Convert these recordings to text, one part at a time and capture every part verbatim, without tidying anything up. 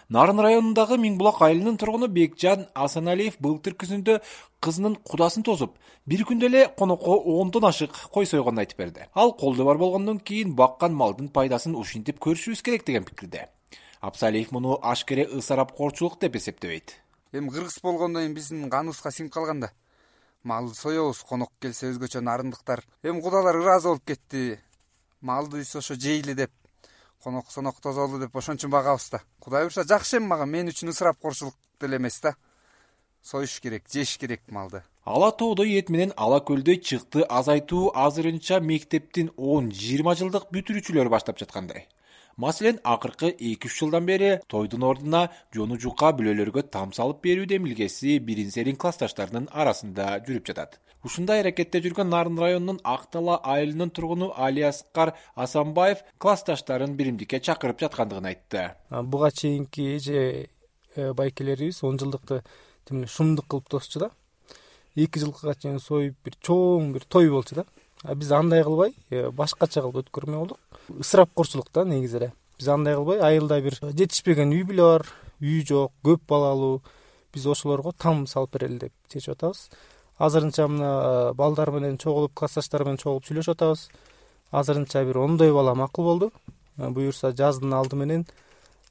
Нарын районундагы Миңбулак айылынын тургуну Бекжан Асаналиев былтыр күзүндө кызынын кудасын тосуп, бир күндө эле конокко ондон ашык кой сойгонун айтып берди. Ал колдо бар болгондон кийин баккан малдын пайдасын ушинтип көрүшүбүз керек деген пикирде. Абсалиев муну ашкере ысырапкорчулук деп эсептебейт. Эми кыргыз болгондон кийин биздин каныбызга сиңип калган да. Малды соебуз, конок келсе өзгөчө нарындыктар. Эми кудалар ыраазы болуп кетти. Малды биз ошо жейли деп, конок сонок тозолу деп ошон үчүн багабыз да. Кудай буюрса жакшы эми мага, мен үчүн ысырапкорчулук деле эмес да. Союш керек, жеш керек малды. Ала тоодой эт менен ала көлдөй чыкты азайтуу азырынча мектептин он жыйырма жылдык бүтүрүүчүлөрү баштап жаткандай. Маселен, акыркы эки үч жылдан бери тойдун ордуна жону жука бүлөлөргө там салып берүү демилгеси бирин-серин классташтарынын арасында жүрүп жатат. Ушундай аракетте жүргөн Нарын районунун Актала айылынын тургуну Алияскар Асанбаев классташтарын биримдикке чакырып жаткандыгын айтты. Буга чейинки же байкелерибиз он жылдыкты шумдук кылып тосчу да. эки жылга чейин союп бир чоң бир той болчу да. А биз андай кылбай, башкача кылып өткөрмөй болдук. Ысырапкорчулук да негизи эле. Биз андай кылбай, айылда бир жетишпеген үй бүлө бар, үй жок, көп балалуу. Биз ошолорго там салып берели деп чечип атабыз. Азырынча мына балдар менен чогулуп, классташтар менен чогулуп сүйлөшүп атабыз. Азырынча бир ондой бала макул болду. Буюрса жаздын алды менен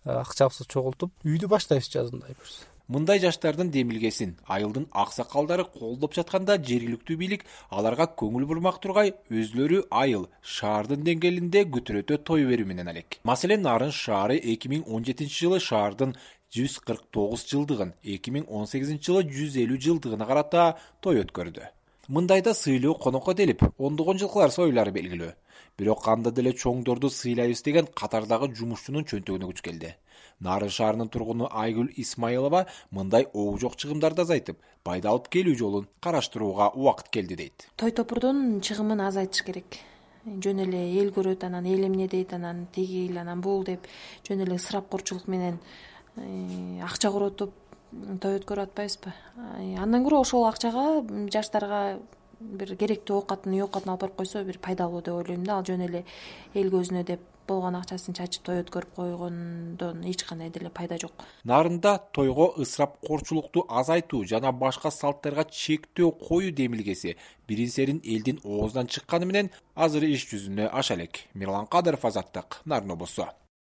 акчабызды чогултуп, үйдү баштайбыз жазында буюрса. Мындай жаштардын демилгесин айылдын аксакалдары колдоп жатканда жергиликтүү бийлик аларга көңүл бурмак тургай, өзлөрү айыл, шаардын деңгээлинде күтүрөтө той берүү менен алек. Маселен, Нарын шаары эки миң он жетинчи жылы шаардын жүз кырк тогуз жылдыгын, эки миң он сегизинчи жылы жүз элүү жылдыгына карата той өткөрдү. Мындайда сыйлуу конокко делип, ондогон жылкылар союлары белгилүү. Бирок анда деле чоңдорду сыйлайбыз деген катардагы жумушчунун чөнтөгүнө күч келди. Нарын шаарынын тургуну Айгүл Исмаилова мындай обу жок чыгымдарды азайтып, пайда алып келүү жолун караштырууга убакыт келди дейт. Той топурдун чыгымын азайтыш керек. Жөн эле эл көрөт, анан эл эмне дейт, анан тигил, анан бул деп жөн эле ысырапкорчулук менен акча коротуп той өткөрүп атпайбызбы? Андан көрө ошол акчага жаштарга бир керектүү оокатын, үй оокатын алып барып койсо бир пайдалуу деп ойлойм да. Ал жөн эле эл көзүнө деп болгон акчасын чачып той өткөрүп койгондон эч кандай деле пайда жок. Нарында тойго ысырапкорчулукту азайтуу жана башка салттарга чектөө коюу демилгеси бирин-серин элдин оозунан чыкканы менен азыр иш жүзүнө аша элек. Мирлан Кадыров, Азаттык, Нарын облусу.